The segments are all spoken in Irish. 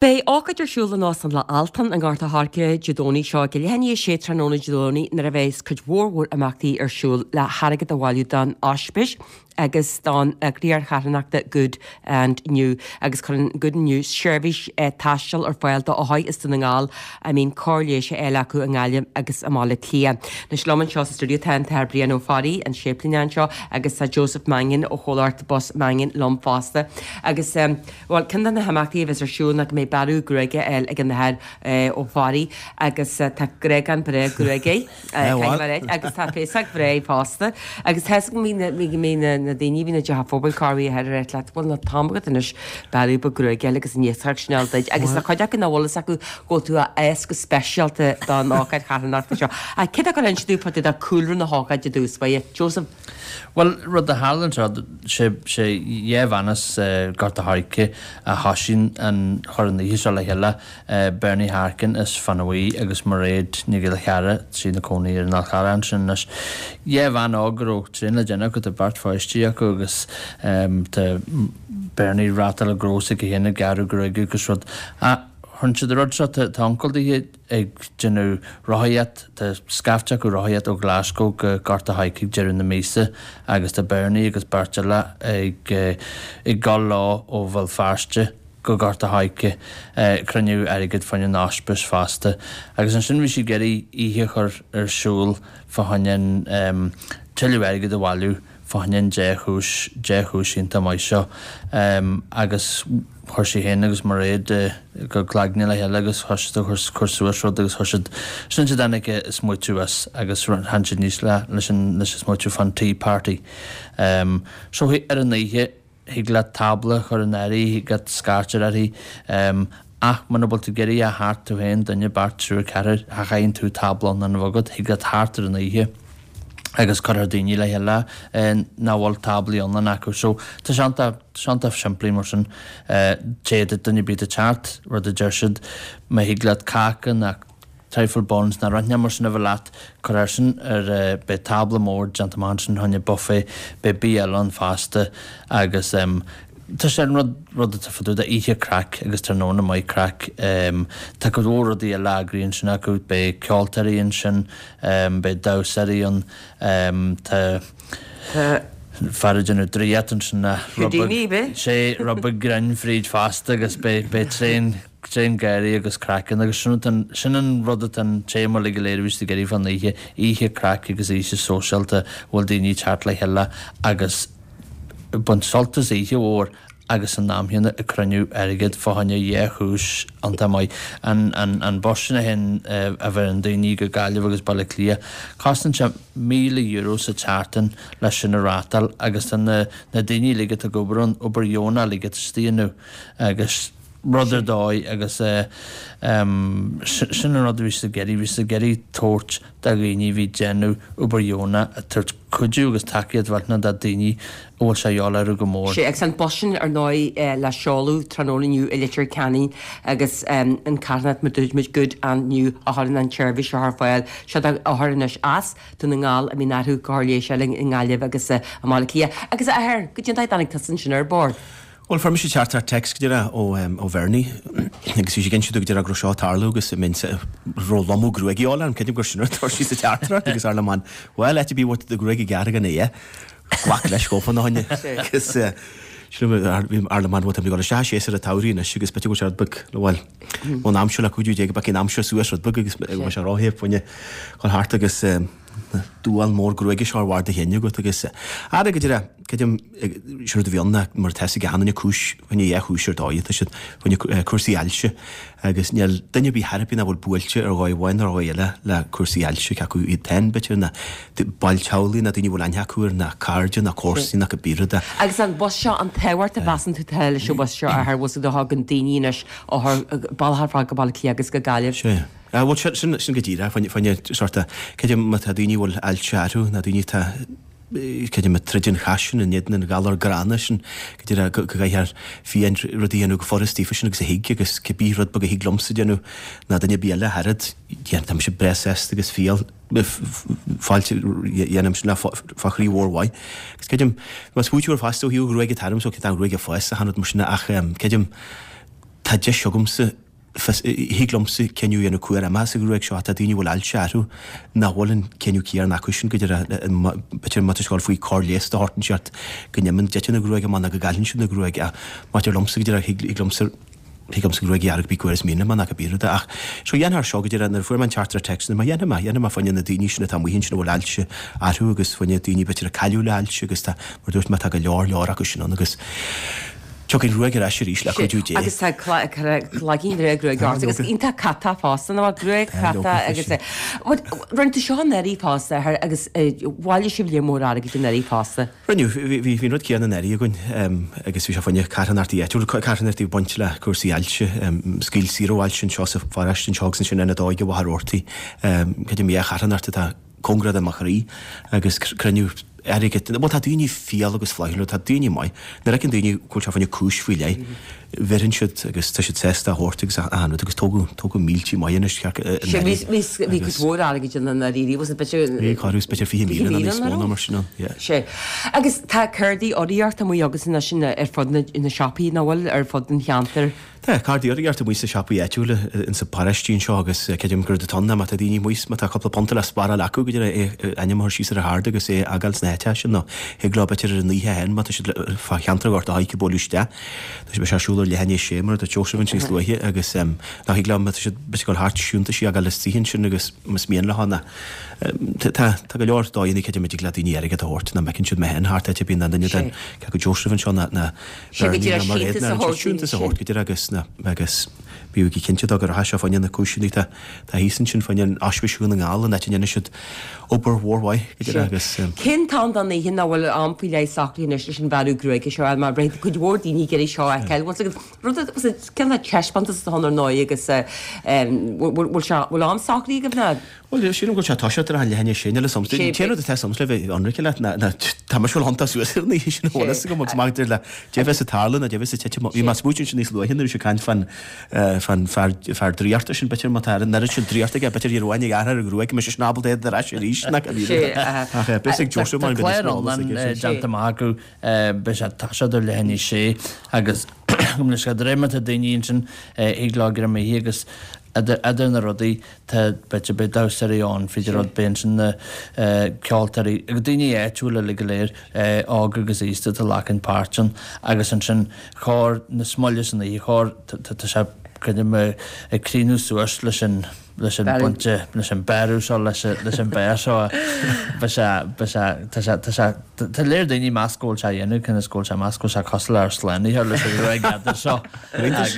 Beidh ócáid ar siúl in Óstán Loch Altan i nGort a' Choirce Dé Domhnaigh seo ag leath i ndiaidh a 6 tráthnóna Dé Domhnaigh nuair a bheas cuid mhór mhór imeachtaí ar siúl le hairgead a bhailiú don Ospís agus don eagraíocht charthanachta Good and New agus cuireann Good and New seirbhís taistil ar fáil do othair as Dún na nGall a mbíonn cóir leighis á fháil acu i nGaillimh agus i mBaile Átha Cliath. Anois liom anseo sa stiúideo tá an tAthair Brian Ó Fearraigh, an séiplíneach anseo agus tá Joseph Mannion ó chomhlacht Bus Mannion liom fosta agus Bhuel, ceann de na himeachtaí a bheas ar siúl ná go mbeidh bearradh gruaige á fháil ag an Athair Ó Fearraigh agus tá gréagán breá gruaige air agus tá féasóg bhreá fosta. Agus tá 'fhios agam go mbíonn na daoine a bhíonn i dteach an phobail corruair a athair ag ráit leat, bhuel níl an t-am agat anois bearradh beag gruaige a fháil agus an iascaireacht sin a fháil duit. Agus tá cuid acu nach bhfuil fhios acu go bhfuil tú á fhás go speisialta don ócáid charthanachta seo. Ach céard a chuir inse dúinn fá dtaobh de cúlra na hócáide i dtús báire, Joseph? Bhuel, rud a tharla anseo, sé, sé dhá bhean as Gort a' Choirce a thosaigh an, chuir an oíche seo le chéile, Bernie Harkin as Fionn a' Bhuí agus Mairéad Ní Ghillchearra, tá sí ina cónaí ar an Fhál Charrach ansin anois. Dhá bhean óg a raibh tréan le déanamh acu, tá beirt pháistí acu agus tá Bernie ag reáchtáil gnó s'aici féin ag gearradh gruaige agus rud. Ach chuir siad an rud seo, tá uncail daoithe, ag déanamh rothaíocht, tá scaifte acu rothaíocht ó Glasgow go Gort a' Choirce ag deireadh na míosa agus tá Bernie agus beirt eile ag ag dul leo ó Bhéal Feirste go Gort a' Choirce ag cruinniú airgid fá choinne an ospís fosta. Agus ansin bhí siad ag iarraidh oíche a chur ar siúl fá choinne an tuilleadh airgid a bhailiú fá choinne an dea-chúis, dea-chúis iontach maith seo. Agus chuir sí féin agus Mairéad a gcuid cloigne le chéile agus thosaigh siad ag cur suas rud agus chuir siad, sin siad tháinig an smaoitiú as agus tháinig siad aníos le, leis an, leis an smaoitiú fán tea party. So ar an oíche thig leat tábla a chur in áirithe, thig leat scairt a chur uirthi, ach muna bhfuil tú ag iarraidh a theacht tú féin, duine, beirt, triúr, ceathrar, cha chaithfidh tú tábla ann a bheith agat, thig leat theacht ar an oíche agus cuirfear daoine le chéile nach bhfuil táblaí iomlán acu. So tá sé iontach, tá sé iontach simplí mar sin. D'fhéadfadh duine ar bith atá ag teacht, rud a deir siad, má thig leat cáca ná trifle buns ná rud inteacht mar sin a bheith leat, cuir air sin ar, beidh tábla mór déanta amach ansin fá choinne buffet, beidh bia eile ann fosta agus tá sé an rud, rud atá fá dtaobh de oíche craic agus tráthnóna maith craic. Tá cuid mhór rudaí eile eagraithe ansin acu, beidh ceoltóirí ansin, beidh damhsóirí ann, tá fear ag déanamh draíocht ansin, rud beag, sé, rud beag grinn fríd fosta agus beidh, beidh tréan, tréan gáirí agus craic ann agus sin an, sin an rud atá an téama uilig go léir a bhí siad ag iarraidh fán oíche, oíche craic agus oíche sóisialta a bhfuil daoine ag teacht le chéile agus ag baint sult as oíche mhór agus san am chéanna ag cruinniú airgid fá choinne dhea-chúis iontach maith. An, an, an bus sin a théann, a bheireann daoine go Gaillimh agus Baile Átha Cliath, cosnaíonn sé €1,000 sa tseachtain leis sin a reáchtáil agus tá na, na daoine uilig atá ag obair ann, obair dheonach uilig atá siad a dhéanamh agus rud ar dóigh agus sin an rud a bhí siad ag iarraidh, bhí siad ag iarraidh tabhairt do dhaoine a bhí ag déanamh obair dheonach, ag tabhairt cuidiú agus tacaíocht mhillteanach do dhaoine a bhfuil sé a dhíobháil orthu go mór. Sea, agus an bus sin ar ndóigh le seoladh tráthnóna inniu i Leitir Ceanainn agus an carthanacht mar dúirt muid Good and New a chuireann an tseirbhís seo ar fáil. Seo do othair anois as Dún na nGall a mbíonn orthu cóir leighis a fháil i nGaillimh agus i mBaile Átha Cliath. Agus a athair, goidé an dóigh a dtáinig tusa ansin ar bord. Bhuel, fuair mise teachtaireacht text go díreach ó ó Bhernie agus bhí sí ag inse domh go díreach go raibh seo ag tarlú agus an mbeinn raibh lomadh gruaige a dhíobháil orm, creidim gur sin rud a dúirt sí sa teachtaireacht agus dar liom an bhuel áit ar bith a bhfuil do ghruaig ag gearradh gan é glac leis gabhfá ina choinne agus sílim bhí dar liom an bhuel tá mé ag dul isteach i séasúr an tsamhraidh anois agus b'fhéidir go bhfuil sé rud beag bhuel ón am seo le cuidiú Dé go mbeidh an aimsir suas rud beag agus go mbeidh sé róthe fá choinne dhul thart agus duán mór gruaige seo ar bharr do chinn agat agus ara go díreach, creidim, sin rud a bhí ann ná mar atá fhios ag achan duine cúis, fá choinne dhea-chúis ar dóigh atá siad, fá choinne cúrsaí ailse agus níl duine ar bith thar ar bith nach bhfuil buailte ar dhóigh amháin nó ar dhóigh eile le cúrsaí ailse, cé acu iad féin b'fhéidir ná baill teaghlaigh ná daoine a bhfuil aithne acu air ná cairde ná comharsana ná cibé rud é. Agus an bus seo, an tábhacht a mheasann tú atá leis an bhus seo a athair, bhfuil fhios agat a thagann daoine anois ó bealach ar fad go Baile Átha Cliath agus go Gaillimh. Sea. Ah, bhuel, sin, sin, sin go díreach, fá choinne, fá choinne sort of, creidim má tá daoine a bhfuil ailse orthu, ná daoine atá, creidim ag troid an chath sin, in éadan an ghalar gránna sin, go díreach, go, go gcaithfear fiú rud a dhéanamh go furast daofa sin agus a thig agus cibé rud beag a thig liomsa déanamh ná duine ar bith eile thar fhad, yeah, tá mise breá sásta agus fial, fáilte, dhéanaim sin le fá chroí mhór mhaith. Agus creidim, más smaoitiú ar fosta ó thaobh ghruaige tairm, so tá an ghruaig ag fás achan rud mar sin ach, creidim, Tá deis agamsa, fios, thig liomsa cinneadh a dhéanamh cá huair a imeochas an ghruaig seo ach tá daoine a bhfuil ailse orthu nach bhfuil an cinneadh céanna acu sin go díreach, b'fhéidir má tá siad ag dul faoi cóir leighis de shórt inteacht go n-imíonn dtiteann an ghruaig amach nó go gcailleann siad an ghruaig ach maidir liomsa go díreach thig liomsa thig liomsa gruaig a ghearradh cibé cá huair is mian liom é nó cibé rud é ach so dhéanfadh seo go díreach nuair a fuair mé an teachtaireacht téacs nuair má dhéanfaidh mé dhéanfaidh mé fá choinne na daoine sin atá amuigh ansin a bhfuil ailse orthu agus fá choinne daoine b'fhéidir a cailleadh le hailse agus tá mar dúirt mé tá go leor leor acu sin ann agus Tiocfaidh an ghruaig ar ais arís le cuidiú Dé. Agus tá cloigeann breá gruaige ort agus iontach catach fosta, nó gruaig chatach agus rinne tú seo anuraidh fosta a agus bhailigh sibh lear mór airgid anuraidh fosta. Rinneadh, bhí an rud céanna anuraidh againn agus bhí sé fá choinne carthanachtaí áitiúla, carthanachtaí ag baint le cúrsaí ailse, Scaoil Saor ó Ailse anseo sa pharóiste anseo agus ansin Ionad Óige Mhachaire Rabhartaigh, creidim dhá charthanacht atá cóngarach do mo chroí agus cruinniú airgid. Bhuel, tá daoine fial agus flaithiúil, tá daoine maith. Nuair a fheiceann daoine go bhfuil sé fá choinne cúis faoi leith, bheireann siad agus tá siad sásta a thabhairt agus achan rud agus tógadh, tógadh míltí maith anois cearc Sé, bhí, bhí, bhí cuid mhór airgid ann anuraidh, was it b'fhéidir. Bhí, corradh, b'fhéidir 20,000 nó níos mó ná mar sin ann, yeah. Sé. Agus tá cártaí urraíochta amuigh agus anois ar fud na, na siopaí, nach bhfuil, ar fud an cheantair. Tá cártaí urraíochta amuigh sna siopaí áitiúla insa paróistí anseo agus creidim gurb atá ann má tá daoine amuigh má tá cúpla punt le spáráil acu go díreach é ainm a chur síos ar an chárta agus é a fhágáil sna háiteacha sin nó thig leo b'fhéidir ar an oíche féin má tá siad fá cheantar Ghort a' Choirce bualadh isteach. Tá sé beidh sé ar siúl ar leath i ndiaidh a sé mar a dúirt Seosamh ansin níos luaithe agus nó thig leo má tá siad b'fhéidir ag dul thart siúntaisí a fhágáil istigh ansin agus más mian leo ná tá tá go leor dóigheanna creidim a dtig le daoine airgead a thabhairt ná má fheiceann siad mé féin thart áit ar bith ná duine den cé acu Joseph anseo ná ná Sé go díreach síntiús a thabhairt Síntiús a thabhairt go díreach agus na agus bíodh go cinnte dó go rachaidh sé fá choinne na cúiseanna atá tá thíos ansin fá choinne an Ospís Dhún na nGall an áit a ndéanann siad obair mhór mhaith go díreach agus. Cén t-am don oíche nach bhfuil am faoi leith socraithe anois leis an bhearradh gruaige seo mar beidh cuid mhór daoine ag iarraidh seo a fheiceáil. Bhfuil a rud cineál taispeántas atá ann ar ndóigh agus bhfuil sé bhfuil am socraithe agaibh ná? Bhuel, sílim go bhfuil sé ag toiseacht ar a leath i ndiaidh a sé, níl a fhios a'm. An t-aon rud atá 'fhios a'msa le bheith ionraice leat ná tá mise ag gabháil a thiontacht suas ar an oíche sin, an bhfuil fhios agam agus maidir le dé bheas ag tarlú nó dé bheas ag titim. Bhí mé ag smaoitiú ansin níos luaithe nuair a bhí sé ag caint fán fán fear fear draíochta sin, b'fhéidir má tá an oiread sin draíochta aige, b'fhéidir ar uain ag athair a ghruaig, go mbeidh seisean ábalta é ar ais arís, nach Ach beidh fhios ag Joseph mar Tá clár iomlán déanta amach acu, beidh sé ag toiseacht ar leath i ndiaidh a sé agus go mbeidh sé de réir mar tá daoine ansin ag log ar an oíche agus idir na rudaí Tá, b'fhéidir, beidh damhsóirí ann, féidir rud, beidh ansin na ceoltóirí agus daoine áitiúla uilig go léir, óg agus aosta atá ag glacann páirt ann agus ansin chóir na smoille san oíche, chóir, tá sé, creidim, ag críochnú suas leis an, leis an bpointe, leis an bearradh seo, leis leis an bheár seo, beidh sé, beidh sé, tá sé, tá sé, tá léir daoine meas go bhfuil sé a dhéanamh, cionn is go bhfuil sé meas go bhfuil sé cosúil le ár Slánaitheoir leis an ghruaig fhada seo. Agus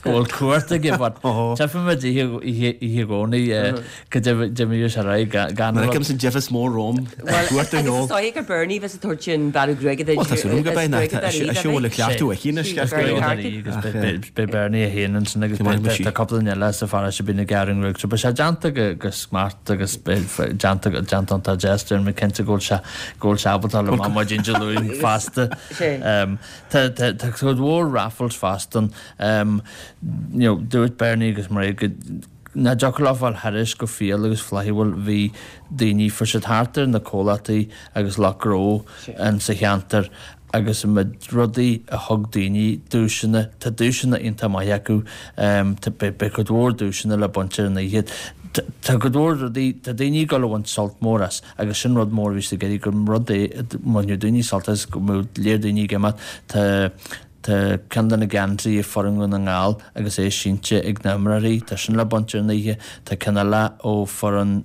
go bhfuil cumhacht aige but tchífimid oíche oíche Dhomhnaigh go dtimíodh sé ar aghaidh gan Mar fheicim san deimheas mór romham cuairt ar Agus is dóigh gur Bernie bheas ag tabhairt an bearradh gruaige duit. Bhuel tá súil agam go beidh nach tá sé bhfuil a cleachtadh aici anois ceart go leor. Agus beidh Bernie é féin ansin agus tá cúpla duine eile sa pharóiste a bíonn ag gearradh an ghruaig so beidh sé déanta go smart agus déanta déanta iontach deas déarfainn mé cinnte go bhfuil sé go bhfuil sé ábalta le maidin Dé Luain fosta. Tá tá cuid mhór raffles fosta ann. You know, dúirt Bernie agus Mairéad go nach dtiocfadh leo fáil thairis go fial agus flaithiúil bhí daoine, fuair siad thart ar na comhlachtaí agus lucht gnó in sa cheantar agus iomad rudaí a thug daoine, duaiseanna, tá duaiseanna iontach maith acu, tá beidh cuid mhór duaiseanna le baint ar an oíche. Tá cuid mhór rudaí, tá daoine ag dul a bhaint sult mór as. Agus sin rud mór a bhí siad ag iarraidh, gur rud é a mbainfeadh daoine sult as, go mbeadh léir daoine ag imeacht. Tá tá ceann de na geansaithe foireann Dhún na nGall agus é sínte ag na himreoirí, tá sin le baint ar an oíche. Tá ceann eile ó foireann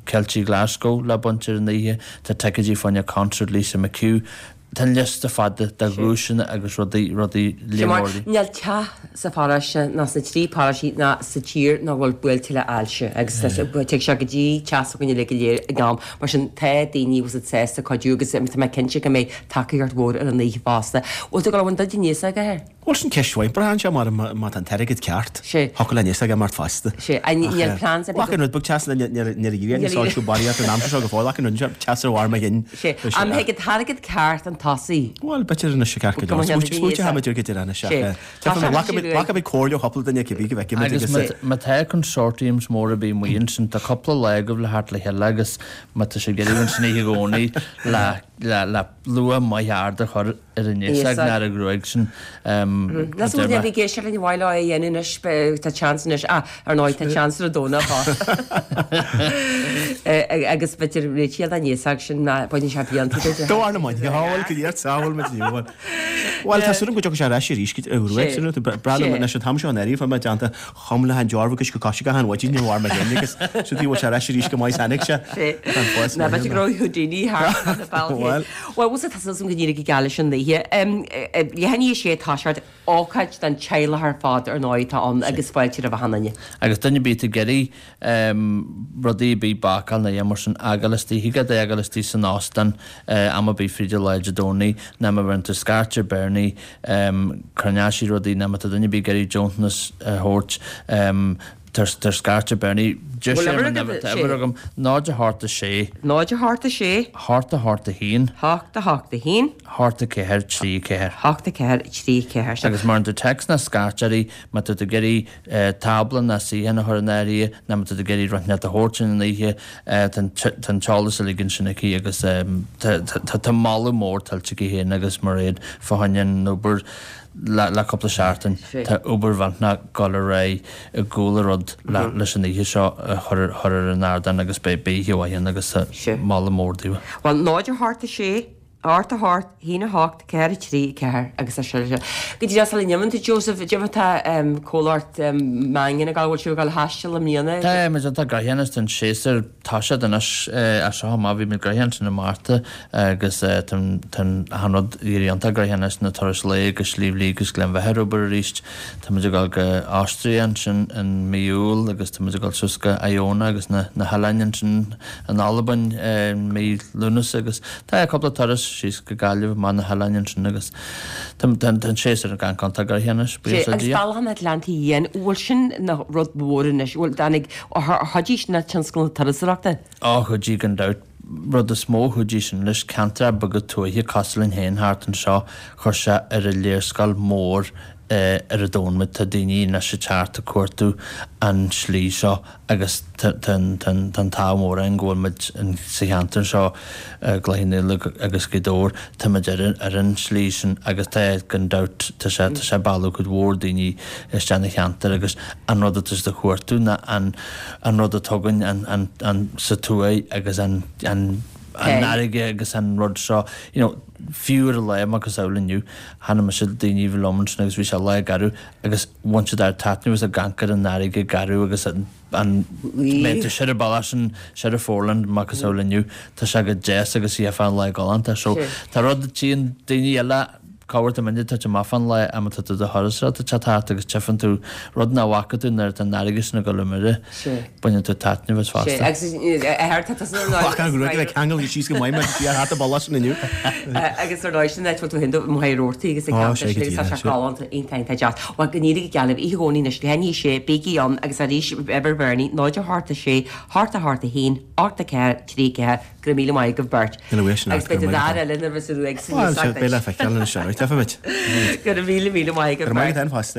Ceiltigh Glasgow le baint ar an oíche. Tá ticéidí fá choinne concert Lisa McHugh. Tá an liosta fada de dhuaiseanna agus rudaí, rudaí Sea, mar níl teach sa pharóiste ná sna trí paróistí ná sa tír nach bhfuil buailte le ailse agus tig sé go dtí teach s'againne uilig go léir ag am. Mar sin tá daoine bhfuil siad sásta cuidiú agus tá mé cinnte go mbeidh tacaíocht mhór ar an oíche fosta. Bhfuil tú ag dul a bhaint duit aníos aige air? Bhuel, sin ceist mhaith. Braitheann sé mar má tá an t-airgead ceart. Sé. Thiocfadh le níos aige mar fosta. Sé. Níl plans ar bith. Ach an rud beag teas níor iarraidh níos soilsiú barraíocht an aimsir seo go fóill ach an rud teas ar bharr mo chinn. Sé. An mbeidh an t-airgead ceart an tosaigh? Bhuel, b'fhéidir anois ceart go leor. Smaointe tháimid ar go deireadh anois ach Glacfaimid comhairle ó chúpla duine cibé go bhfeicfimid agus. Agus má tá consortiums mór ar bith amuigh ansin, tá cúpla lá agaibh le theacht le chéile agus má tá sibh ag iarraidh ansin oíche Dhomhnaigh le. le luach maith ard a chur ar an fhéasóg ná ar an ghruaig sin. Ná súil le bhí ag éisteacht linn mhaith leo é a dhéanamh anois, tá seans anois, ah, ar ndóigh tá seans ar an Domhnach fosta. Agus b'fhéidir réitigh den fhéasóg sin ná baineann sé blianta duit. Do bharr na maidne, shábháil go dtí ar tsábháil muid inniu, bhuel. Bhuel, tá súil agam go dtiocfaidh sé ar ais arís go dtí an ghruaig sin, breá liom anois an t-am seo an earraigh, fuair mé déanta chum le han dearbh agus go coise gach an mhaidin ní bhfuair mé féin agus siúd í bhfuil sé ar ais arís go maith tháinig sé. Tá an fás Ná b'fhéidir go raibh Houdini thart ar na bealtaí. Bhuel. Bhuel, bhfuil tá súil agam go n-éireoidh go geal leis an oíche. Leath i ndiaidh a sé tá sé ócáid don teaghlach ar fad ar ndóigh atá ann agus fáilte roimh achan duine. Agus duine ar bith atá ag iarraidh rudaí ar bith bácáil nó a dhath mar sin a fhágáil istigh, thig leat é a fhágáil istigh san óstán am ar bith fríd an lá Dé Domhnaigh nó má bheireann tú scairt ar Bernie coinneoidh sí rudaí nó má tá duine ar bith ag iarraidh deontanas a thabhairt tabhair scairt ar Bernie. Deir sé an uimhir agam, 0 8 6. 0 8 6. 8 8 1. 8 8 1. 8 4 3 4. 8 4 3 4. Agus má bheireann tú text nó scairt uirthi má tá tú ag iarraidh tábla ná suíochán a chur in áirithe nó má tá tú ag iarraidh rud inteacht a thabhairt ar an oíche, tá an t-eolas uilig ansin aici agus tá moladh mór tuillte aici féin agus Mairéad fá choinne an obair le cúpla seachtain. Tá obair mhillteanach ag dul ar aghaidh i gcúl an rud leis an oíche seo a chur ar an ardán agus beidh oíche mhaith ann agus tá moladh mór daoibh. Bhuel, 0 8 6, 8 8, 1 8, 4 3 4 agus é sin. Go díreach sula n-imíonn tú Joseph, cad é tá comhlacht Mangan ag gabháil, bhfuil sibh ag gabháil a thaisteal i mbliana? Tá muid iontach gnoitheach anois, tá an séasúr tosaithe anois as seo amach, bhí muid gnoitheach ansin i Márta agus tá achan rud ag éirí iontach gnoitheach anois, na turais lae go Sliabh Liag agus Gleann Bheatha ar obair arís. Tá muid ag dul go Austria ansin in mí Iúil agus tá muid ag dul suas go Iona agus na hoileáin ansin in Albain i mí Lúnasa agus tá cúpla turas síos go Gaillimh amach na hoileáin ansin agus tá an séasúr ag iontach gnoitheach anois, buíochas le Dia. Agus Bealach an Atlantaigh Fhiáin, bhfuil sin ina rud mór anois, bhfuil, tháinig, ar chuidigh sin le tionscal na turasóireachta? Ó chuidigh gan dabht. Rud is mó a chuidigh sin leis, ceantracha beaga tuaithe cosúil linn féin thart anseo, chuir sé ar an léarscáil mór ar an domhan muid. Tá daoine anois ag teacht ag cuartú an slí seo agus tá an t-ádh mór againn go bhfuil muid sa cheantar seo, Cloich Cheann Fhaola agus Gaoth Dobhair, tá muid ar an slí sin agus tá gan dabht tá sé tá sé ag mealladh cuid mhór daoine isteach na cheantar agus an rud atá siad a chuartú ná an an rud atá againn an an an sa tuaith agus an an an fharraige agus an rud seo you know fiú ar an lá macasamhail inniu chonaic mise daoine a bhí liom ansin agus bhí sé lá garbh agus bhain siad ard-taitneamh as ag amharc ar an fharraige garbh agus an an mbeidh tú siar an bealach sin siar an Foreland macasamhail inniu tá sé go deas agus í fán lá galánta so tá rud tchíonn daoine eile corruair tá muidne ag tabhairt amach fán lá am atá tú do thuras seo tá thart agus tchíonn tú rud nach bhfaca tú nuair atá an fharraige sin ag dul i mire baineann tú taitneamh as fosta. Agus ar tá tusa ar ndóigh. Bhac an ghruaig le ceangal síos go maith mar bhí ar hata bealach sin inniu. Agus ar ndóigh sin áit bhfuil tú féin do Mhachaire Rabhartaigh agus ag Ó, sé go díreach, tá sé galánta iontach iontach deas. Bhuel go n-éirí go geal libh oíche Dhomhnaigh anois leath i ndiaidh a 6 bígí ann agus arís uimhir Bernie 0 8 6 8 8 1 8 4 3 4 Go raibh míle maith agaibh beirt. Ina bhfuil sin Agus beidh do d'fhear eile nuair a bheas an ruaig san Bhuel, beidh le feiceáil anois, alright, feicfimid. Go raibh míle míle maith agaibh beirt. Go raibh maith agat féin fosta.